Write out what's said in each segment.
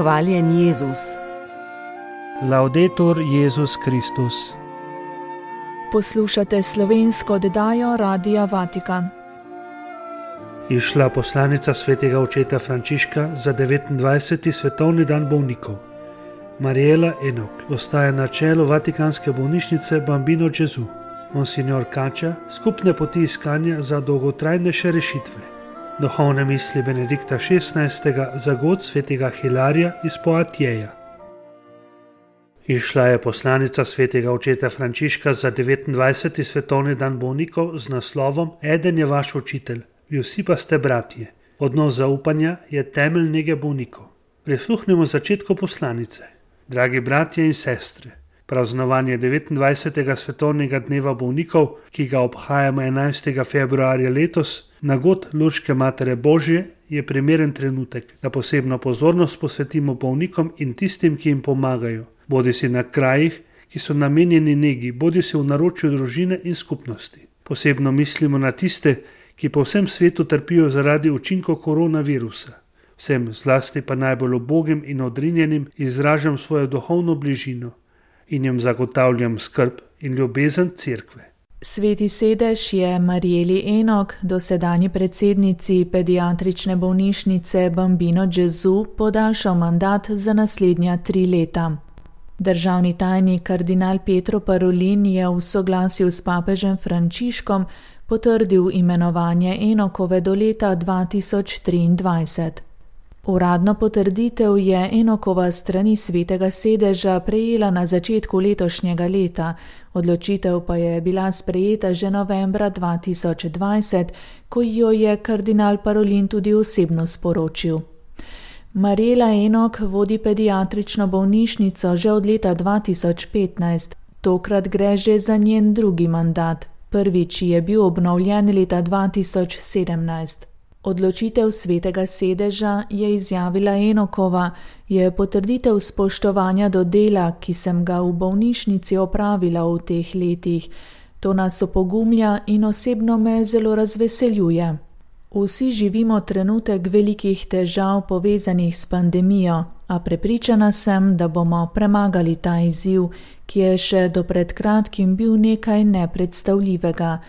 Hvaljen Jezus. Laudetur Jezus Kristus. Poslušate slovensko oddajo Radia Vatikan. Izšla poslanica svetega očeta Frančiška za 29. svetovni dan bolnikov. Mariela Enok ostaja na čelu Vatikanske bolnišnice Bambino Gesù. Monsignor Kača skupne poti iskanja za dolgotrajnejše rešitve. Duhovne misli Benedikta XVI. Za god svetega Hilarija iz Poatjeja. Izšla je poslanica svetega očeta Frančiška za 29. svetovni dan bolnikov z naslovom Eden je vaš učitelj, vi vsi pa ste bratje. Odnos zaupanja je temelj nege bolnikov. Prisluhnimo začetku poslanice. Dragi bratje in sestre, praznovanje 29. svetovnega dneva bolnikov, ki ga obhajamo 11. februarja letos, na god Luške Matere Božje, je primeren trenutek, da posebno pozornost posvetimo bolnikom in tistim, ki jim pomagajo, bodisi na krajih, ki so namenjeni negi, bodisi v naročju družine in skupnosti. Posebno mislimo na tiste, ki po vsem svetu trpijo zaradi učinkov koronavirusa. Vsem, zlasti pa najbolj ubogim in odrinjenim, izražam svojo duhovno bližino in jim zagotavljam skrb in ljubezen cerkve. Sveti sedež je Marieli Enok, dosedanji predsednici pediatrične bolnišnice Bambino Gesù, podaljšal mandat za naslednja 3 leta. Državni tajnik kardinal Pietro Parolin je v soglasju s papežem Frančiškom potrdil imenovanje Enokove do leta 2023. Uradno potrditev je Enokova strani svetega sedeža prejela na začetku letošnjega leta, odločitev pa je bila sprejeta že novembra 2020, ko jo je kardinal Parolin tudi osebno sporočil. Mariela Enok vodi pediatrično bolnišnico že od leta 2015, tokrat gre že za njen drugi mandat. Prvič je bil obnovljen leta 2017. Odločitev svetega sedeža, je izjavila Enokova, je potrditev spoštovanja do dela, ki sem ga v bolnišnici opravila v teh letih. To nas opogumlja in osebno me zelo razveseljuje. Vsi živimo trenutek velikih težav povezanih s pandemijo, a prepričana sem, da bomo premagali ta izziv, ki je še do pred kratkim bil nekaj nepredstavljivega.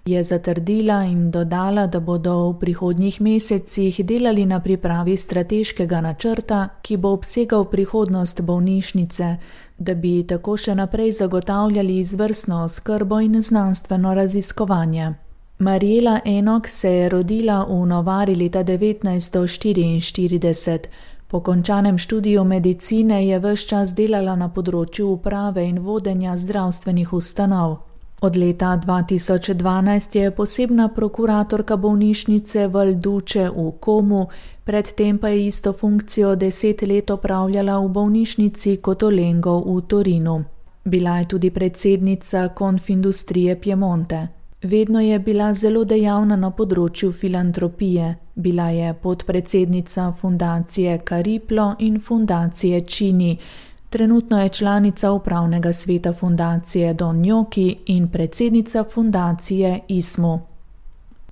Je zatrdila in dodala, da bodo v prihodnjih mesecih delali na pripravi strateškega načrta, ki bo obsegal prihodnost bolnišnice, da bi tako še naprej zagotavljali izvrstno oskrbo in znanstveno raziskovanje. Mariela Enok se je rodila v Novari leta 1944. Po končanem študiju medicine je ves čas delala na področju uprave in vodenja zdravstvenih ustanov. Od leta 2012 je posebna prokuratorka bolnišnice Val Duce v Comu, predtem pa je isto funkcijo 10 let opravljala v bolnišnici Cotolengo v Torinu. Bila je tudi predsednica Konfindustrije Piemonte. Vedno je bila zelo dejavna na področju filantropije. Bila je podpredsednica fundacije Cariplo in fundacije Cini. Trenutno je članica upravnega sveta fundacije Don Gnocchi in predsednica fundacije ISMU.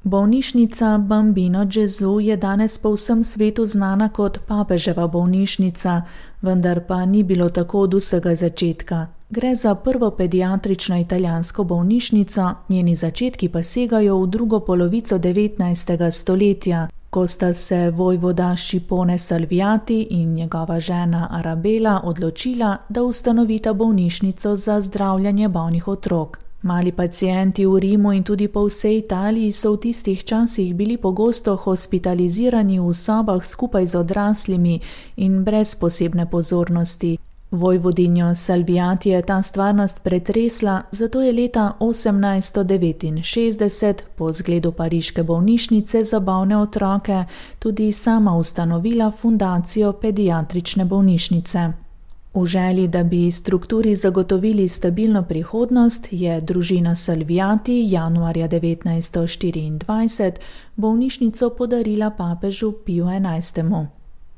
Bolnišnica Bambino Gesù je danes po vsem svetu znana kot papeževa bolnišnica, vendar pa ni bilo tako od vsega začetka. Gre za prvo pediatrično italijansko bolnišnico, njeni začetki pa segajo v drugo polovico 19. stoletja, ko sta se vojvoda Šipone Salviati in njegova žena Arabela odločila, da ustanovita bolnišnico za zdravljenje bolnih otrok. Mali pacienti v Rimu in tudi po vsej Italiji so v tistih časih bili pogosto hospitalizirani v sobah skupaj z odraslimi in brez posebne pozornosti. Vojvodinjo Salviati je ta stvarnost pretresla, zato je leta 1869 po zgledu pariške bolnišnice za bolne otroke tudi sama ustanovila fundacijo pediatrične bolnišnice. V želji, da bi strukturi zagotovili stabilno prihodnost, je družina Salviati januarja 1924 bolnišnico podarila papežu Piju XI.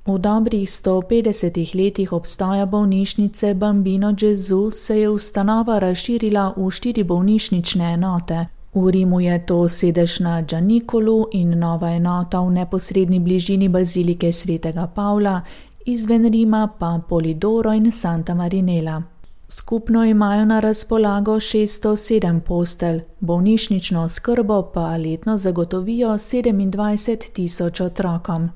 V dobrih 150 letih obstoja bolnišnice Bambino Gesù se je ustanova razširila v 4 bolnišnične enote. V Rimu je to sedež na Gianicolu in nova enota v neposredni bližini bazilike svetega Pavla izven Rima pa Polidoro in Santa Marinela. Skupno imajo na razpolago 607 postelj, bolnišnično oskrbo pa letno zagotovijo 27.000 otrokom.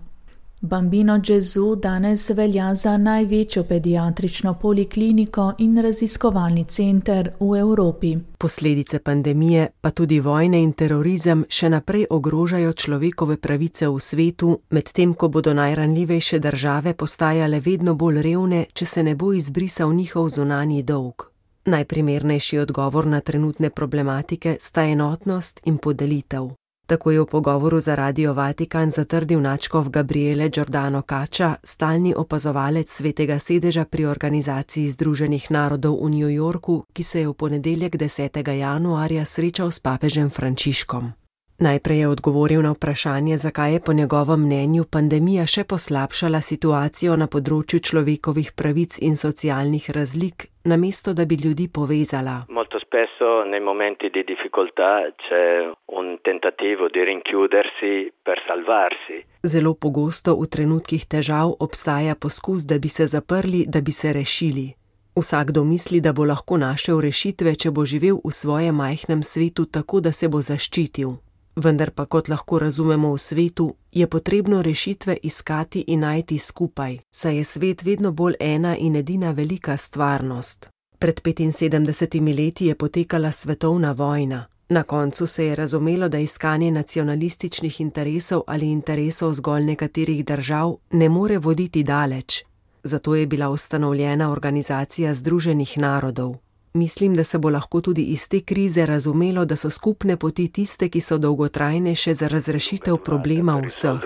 Bambino Gesù danes velja za največjo pediatrično polikliniko in raziskovalni center v Evropi. Posledice pandemije, pa tudi vojne in terorizem še naprej ogrožajo človekove pravice v svetu, medtem ko bodo najranljivejše države postajale vedno bolj revne, če se ne bo izbrisal njihov zunanji dolg. Najprimernejši odgovor na trenutne problematike sta enotnost in podelitev. Tako je v pogovoru za Radio Vatikan zatrdil nadškof Gabriele Giordano Caccia, stalni opazovalec Svetega sedeža pri Organizaciji Združenih narodov v New Yorku, ki se je v ponedeljek 10. januarja srečal s papežem Frančiškom. Najprej je odgovoril na vprašanje, zakaj je po njegovem mnenju pandemija še poslabšala situacijo na področju človekovih pravic in socialnih razlik, namesto da bi ljudi povezala. Spesso nei momenti di difficoltà c'è un tentativo di rinchiudersi per salvarsi. Zelo pogosto v trenutkih težav obstaja poskus, da bi se zaprli, da bi se rešili. Vsakdo misli, da bo lahko našel rešitve, če bo živel v svojem majhnem svetu tako, da se bo zaščitil. Vendar pa, kot lahko razumemo v svetu, je potrebno rešitve iskati in najti skupaj, saj je svet vedno bolj ena in edina velika stvarnost. Pred 75 leti je potekala svetovna vojna. Na koncu se je razumelo, da iskanje nacionalističnih interesov ali interesov zgolj nekaterih držav ne more voditi daleč. Zato je bila ustanovljena Organizacija Združenih narodov. Mislim, da se bo lahko tudi iz te krize razumelo, da so skupne poti tiste, ki so dolgotrajnejše za razrešitev problema vseh.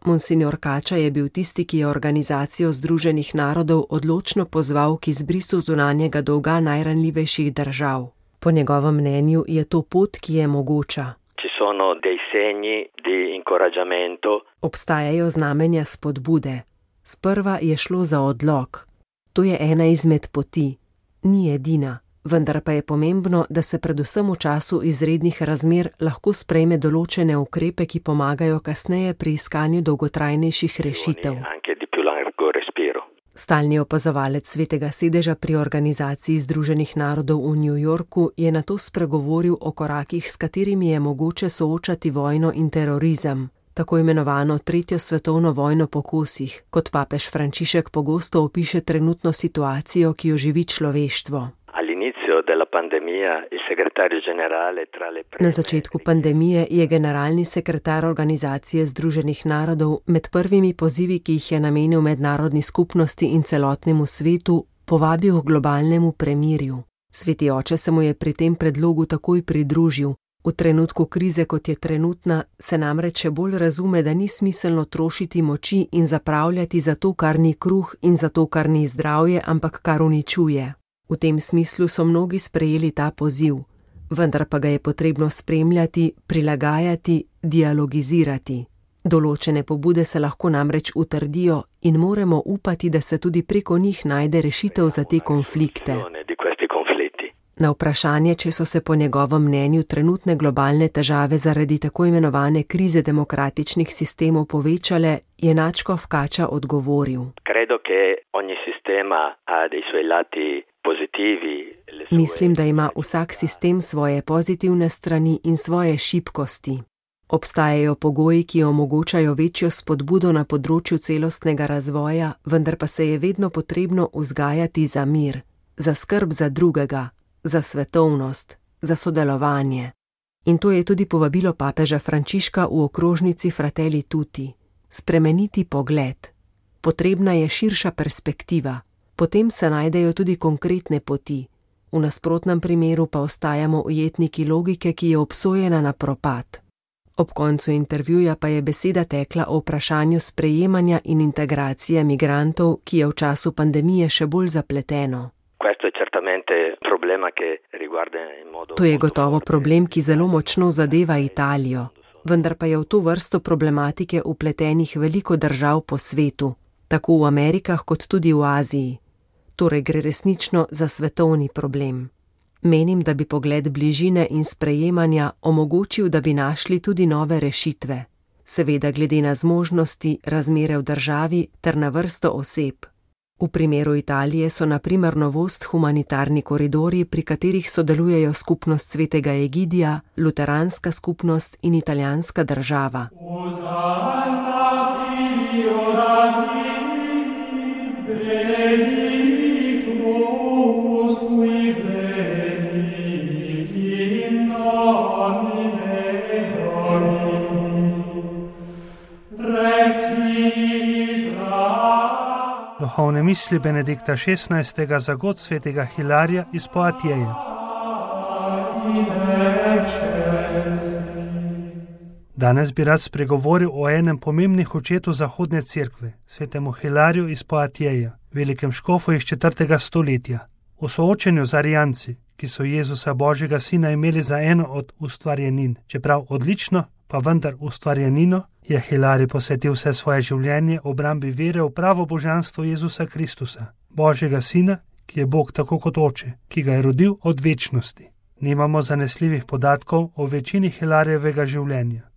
Monsignor Caccia je bil tisti, ki je Organizacijo Združenih narodov odločno pozval k izbrisu zunanjega dolga najranljivejših držav. Po njegovem mnenju je to pot, ki je mogoča. Obstajajo znamenja spodbude. Sprva je šlo za odlok. To je ena izmed poti. Ni edina, vendar pa je pomembno, da se predvsem v času izrednih razmer lahko sprejme določene ukrepe, ki pomagajo kasneje pri iskanju dolgotrajnejših rešitev. Stalni opazovalec Svetega sedeža pri Organizaciji Združenih narodov v New Yorku je nato spregovoril o korakih, s katerimi je mogoče soočati vojno in terorizem, tako imenovano tretjo svetovno vojno po kosih, kot papež Frančišek pogosto opiše trenutno situacijo, ki jo živi človeštvo. Na začetku pandemije je generalni sekretar Organizacije Združenih narodov med prvimi pozivi, ki jih je namenil mednarodni skupnosti in celotnemu svetu, povabil k globalnemu premirju. Sveti oče se mu je pri tem predlogu takoj pridružil. V trenutku krize, kot je trenutna, se namreč še bolj razume, da ni smiselno trošiti moči in zapravljati za to, kar ni kruh, in za to, kar ni zdravje, ampak kar uničuje. V tem smislu so mnogi sprejeli ta poziv, vendar pa ga je potrebno spremljati, prilagajati, dialogizirati. Določene pobude se lahko namreč utrdijo in moramo upati, da se tudi preko njih najde rešitev za te konflikte. Na vprašanje, če so se po njegovem mnenju trenutne globalne težave zaradi tako imenovane krize demokratičnih sistemov povečale, je nadškof Caccia odgovoril. Mislim, da ima vsak sistem svoje pozitivne strani in svoje šibkosti. Obstajajo pogoji, ki omogočajo večjo spodbudo na področju celostnega razvoja, vendar pa se je vedno potrebno vzgajati za mir, za skrb za drugega, za svetovnost, za sodelovanje. In to je tudi povabilo papeža Frančiška v okrožnici Fratelli Tutti. Spremeniti pogled. Potrebna je širša perspektiva. Potem se najdejo tudi konkretne poti. V nasprotnem primeru pa ostajamo ujetniki logike, ki je obsojena na propad. Ob koncu intervjuja pa je beseda tekla o vprašanju sprejemanja in integracije migrantov, ki je v času pandemije še bolj zapleteno. To je gotovo problem, ki zelo močno zadeva Italijo, vendar pa je v to vrsto problematike vpletenih veliko držav po svetu, tako v Amerikah kot tudi v Aziji. Torej gre resnično za svetovni problem. Menim, da bi pogled bližine in sprejemanja omogočil, da bi našli tudi nove rešitve. seveda glede na zmožnosti, razmere v državi ter na vrsto oseb. V primeru Italije so na primer novost humanitarni koridorji, pri katerih sodelujejo skupnost svetega Egidija, luteranska skupnost in italijanska država. Duhovne misli Benedikta XVI. Za god svetega Hilarija iz Poatieja. Danes bi rad spregovoril o enem pomembnih očetu zahodne cerkve, svetemu Hilariju iz Poatieja, velikem škofu iz 4. stoletja. V soočenju z Arijanci, ki so Jezusa Božjega sina imeli za eno od ustvarjenin, čeprav odlično, pa vendar ustvarjenino, je Hilarij posvetil vse svoje življenje obrambi vere v pravo božanstvo Jezusa Kristusa, Božjega sina, ki je Bog tako kot oče, ki ga je rodil od večnosti. Nimamo zanesljivih podatkov o večini Hilarijevega življenja.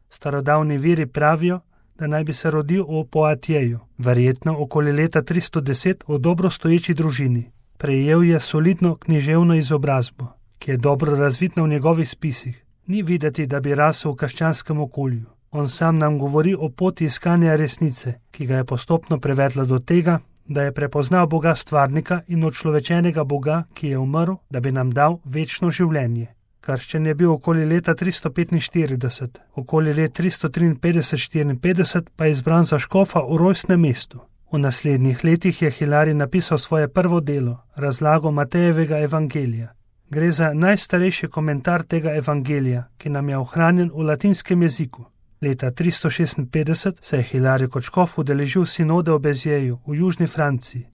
Starodavni viri pravijo, da naj bi se rodil v Poatieju, verjetno okoli leta 310 v dobro stoječi družini. Prejel je solidno književno izobrazbo, ki je dobro razvidna v njegovih spisih. Ni videti, da bi rasel v krščanskem okolju. On sam nam govori o poti iskanja resnice, ki ga je postopno prevedla do tega, da je prepoznal Boga stvarnika in očlovečenega Boga, ki je umrl, da bi nam dal večno življenje. Krščen je bil okoli leta 345, okoli let 353-54 pa je izbran za škofa v rojstnem mestu. V naslednjih letih je Hilarij napisal svoje prvo delo, razlago Matejevega evangelija. Gre za najstarejši komentar tega evangelija, ki nam je ohranjen v latinskem jeziku. Leta 356 se je Hilarij kot škof udeležil sinode v Bezjeju v južni Franciji,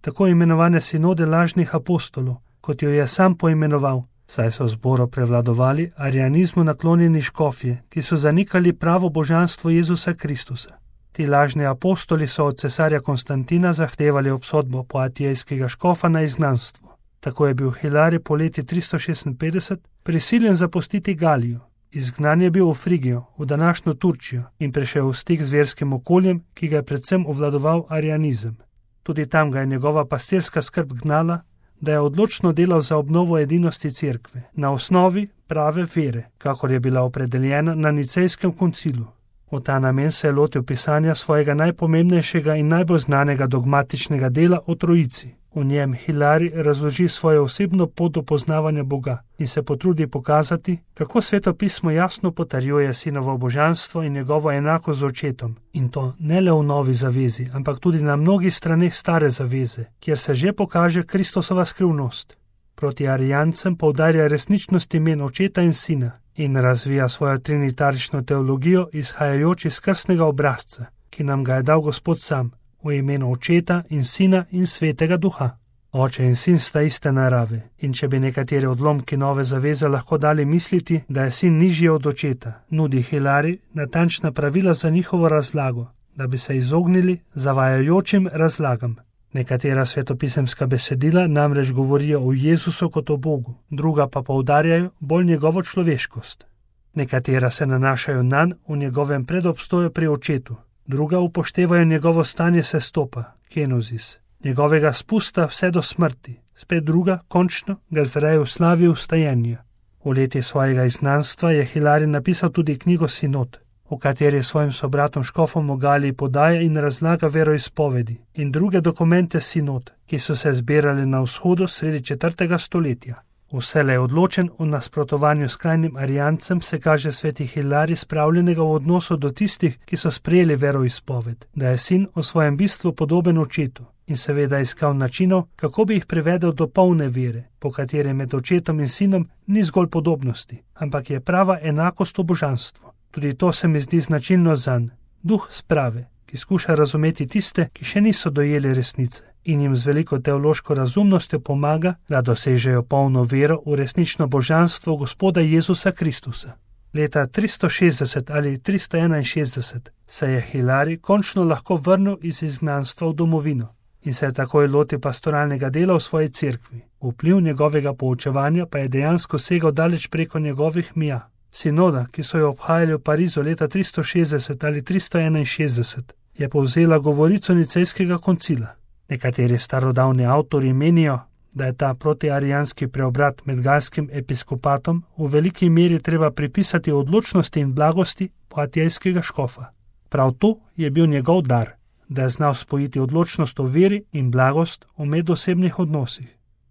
tako imenovane sinode lažnih apostolov, kot jo je sam poimenoval, saj so zboru prevladovali arijanizmu naklonjeni škofje, ki so zanikali pravo božanstvo Jezusa Kristusa. Ti lažni apostoli so od cesarja Konstantina zahtevali obsodbo poatijskega škofa na izgnanstvo. Tako je bil Hilarij po leti 356 prisiljen zapustiti Galijo. Izgnan je bil v Frigijo, v današnjo Turčijo in prišel v stik z verskim okoljem, ki ga je predvsem obvladoval arijanizem. Tudi tam ga je njegova pastirska skrb gnala, da je odločno delal za obnovo edinosti cerkve, na osnovi prave vere, kakor je bila opredeljena na Nicejskem koncilu. V ta namen se je lotil pisanja svojega najpomembnejšega in najbolj znanega dogmatičnega dela o Trojici. V njem Hilarij razloži svojo osebno pot do poznavanja Boga in se potrudi pokazati, kako Sveto pismo jasno potrjuje sinovo božanstvo in njegovo enako z očetom. In to ne le v novi zavezi, ampak tudi na mnogih straneh stare zaveze, kjer se že pokaže Kristusova skrivnost. Proti arijancem poudarja resničnost imen očeta in sina in razvija svojo trinitarično teologijo izhajajoč iz krstnega obrazca, ki nam ga je dal Gospod sam, v imenu Očeta in Sina in Svetega Duha. Oče in sin sta iste narave in če bi nekateri odlomki nove zaveze lahko dali misliti, da je sin nižji od očeta, nudi Hilarij natančna pravila za njihovo razlago, da bi se izognili zavajajočim razlagam. Nekatera svetopisemska besedila namreč govorijo o Jezusu kot o Bogu, druga pa poudarjajo bolj njegovo človeškost. Nekatera se nanašajo nanj v njegovem predobstoju pri očetu, druga upoštevajo njegovo stanje sestopa, kenozis, njegovega spusta vse do smrti, spet druga, končno, ga zreje v slavi vstajenja. V leti svojega izgnanstva je Hilarij napisal tudi knjigo Sinod, v kateri svojim sobratom škofom v Galiji podaja in razlaga veroizpovedi in druge dokumente sinod, ki so se zbirali na vzhodu sredi 4. stoletja. Vselej odločen v nasprotovanju skrajnim arijancem se kaže sveti Hilarij spravljenega v odnosu do tistih, ki so sprejeli veroizpoved, da je sin v svojem bistvu podoben očetu in seveda iskal načinov, kako bi jih privedel do polne vere, po kateri med očetom in sinom ni zgolj podobnosti, ampak je prava enakost v božanstvu. Tudi to se mi zdi značilno zanj, duh sprave, ki skuša razumeti tiste, ki še niso dojeli resnice in jim z veliko teološko razumnostjo pomaga, da dosežejo polno vero v resnično božanstvo Gospoda Jezusa Kristusa. Leta 360 ali 361 se je Hilarij končno lahko vrnil iz izgnanstva v domovino in se je takoj lotil pastoralnega dela v svoji cerkvi. Vpliv njegovega poučevanja pa je dejansko segal daleč preko njegovih mija. Sinoda, ki so jo obhajali v Parizu leta 360 ali 361, je povzela govorico nicejskega koncila. Nekateri starodavni avtori menijo, da je ta protiarijanski preobrat med galskim episkopatom v veliki meri treba pripisati odločnosti in blagosti poatijskega škofa. Prav to je bil njegov dar, da je znal spojiti odločnost v veri in blagost v medosebnih odnosih.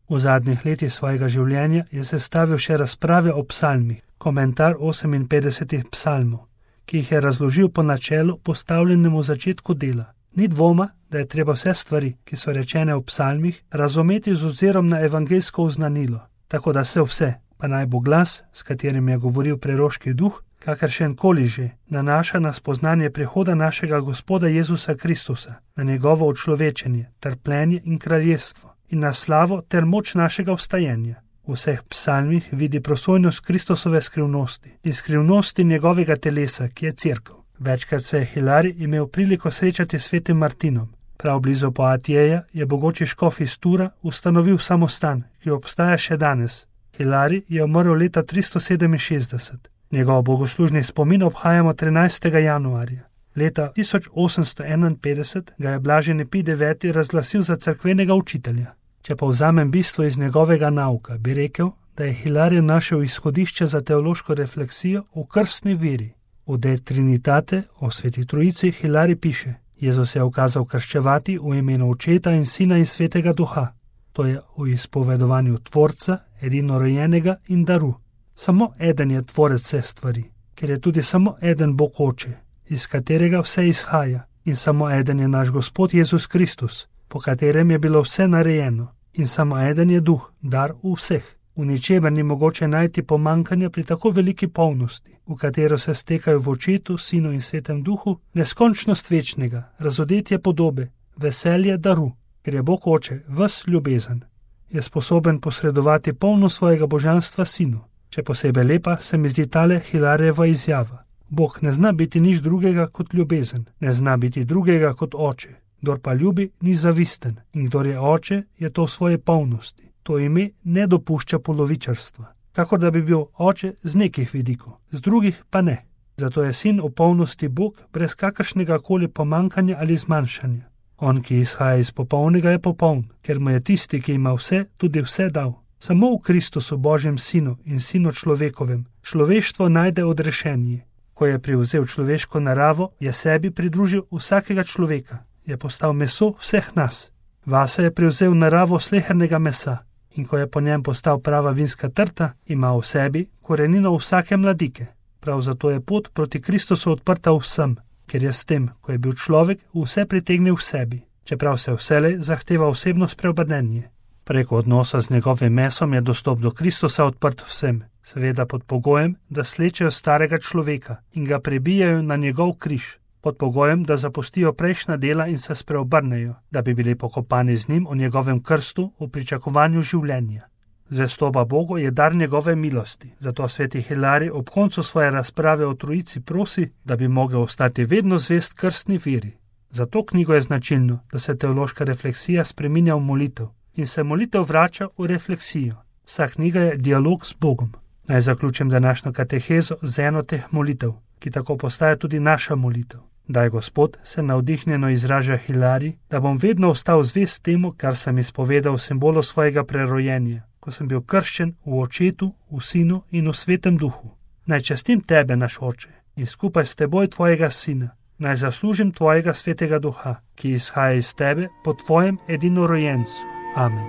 V zadnjih letih svojega življenja je sestavil še razprave o psalmih, komentar 58 psalmov, ki jih je razložil po načelu postavljenemu v začetku dela. Ni dvoma, da je treba vse stvari, ki so rečene v psalmih, razumeti z ozirom na evangeljsko oznanilo, tako da se vse, pa naj bo glas, s katerim je govoril preroški duh, kakršen koli že, nanaša na spoznanje prihoda našega Gospoda Jezusa Kristusa, na njegovo učlovečenje, trpljenje in kraljestvo, in na slavo ter moč našega vstajenja. V vseh psalmih vidi prosojnost Kristusove skrivnosti in skrivnosti njegovega telesa, ki je cerkev. Večkrat se je Hilarij imel priliko srečati s svetim Martinom. Prav blizu Poatijeja je bogoči škof iz Tura ustanovil samostan, ki obstaja še danes. Hilarij je umrl leta 367. Njegov bogoslužni spomin obhajamo 13. januarja. Leta 1851 ga je blaženi Pij IX razglasil za cerkvenega učitelja. Če povzamem bistvo iz njegovega nauka, bi rekel, da je Hilarij našel izhodišče za teološko refleksijo v krstni veri. V De Trinitate, o Sveti Trojici, Hilarij piše: Jezus je ukazal krščevati v imenu Očeta in Sina in Svetega Duha. To je v izpovedovanju Tvorca, edinorojenega in daru. Samo eden je tvorec vseh stvari, ker je tudi samo eden Bog Oče, iz katerega vse izhaja, in samo eden je naš Gospod Jezus Kristus, po katerem je bilo vse narejeno, in samo eden je Duh, dar v vseh. V ničemer ni mogoče najti pomankanja pri tako veliki polnosti, v katero se stekajo v Očetu, Sinu in Svetem Duhu, neskončnost večnega, razodetje podobe, veselje daru, ker je Bog Oče ves ljubezen, je sposoben posredovati polno svojega božanstva Sinu. Še posebej lepa se mi zdi tale Hilarijeva izjava. Bog ne zna biti nič drugega kot ljubezen, ne zna biti drugega kot Oče. Kdor pa ljubi, ni zavisten, in kdor je Oče, je to v svoje polnosti. To ime ne dopušča polovičarstva, kakor da bi bil Oče z nekih vidikov, z drugih pa ne. Zato je Sin v polnosti Bog brez kakršnega koli pomankanja ali zmanjšanja. On, ki izhaja iz popolnega, je popoln, ker mu je tisti, ki ima vse, tudi vse dal. Samo v Kristusu, Božjem Sinu in Sinu človekovem, človeštvo najde odrešenje. Ko je privzel človeško naravo, je sebi pridružil vsakega človeka, je postal meso vseh nas. Vase je privzel naravo slehernega mesa in ko je po njem postal prava vinska trta, ima v sebi korenino vsake mladike. Prav zato je pot proti Kristusu odprta vsem, ker je s tem, ko je bil človek, vse pritegnil v sebi, čeprav se vselej zahteva osebno spreobrnenje. Preko odnosa z njegovim mesom je dostop do Kristusa odprt vsem, seveda pod pogojem, da slečejo starega človeka in ga prebijajo na njegov križ, pod pogojem, da zapustijo prejšnja dela in se spreobrnejo, da bi bili pokopani z njim v njegovem krstu v pričakovanju življenja. Zvestoba Bogu je dar njegove milosti, zato sveti Hilarij ob koncu svoje razprave o Trojici prosi, da bi mogel ostati vedno zvest krstni veri. Za to knjigo je značilno, da se teološka refleksija spreminja v molitev in se molitev vrača v refleksijo. Vsa knjiga je dialog z Bogom. Naj zaključim današnjo katehezo z eno teh molitev, ki tako postaja tudi naša molitev. Daj, Gospod, se navdihnjeno izraža Hilarij, da bom vedno ostal zvest temu, kar sem izpovedal v simbolu svojega prerojenja, ko sem bil krščen v Očetu, v Sinu in v Svetem Duhu. Naj častim tebe, naš Oče, in skupaj s teboj tvojega Sina. Naj zaslužim tvojega Svetega Duha, ki izhaja iz tebe po tvojem edinorojencu. Amen.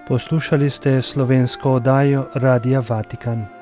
Poslušali ste slovensko oddajo Radia Vatikan.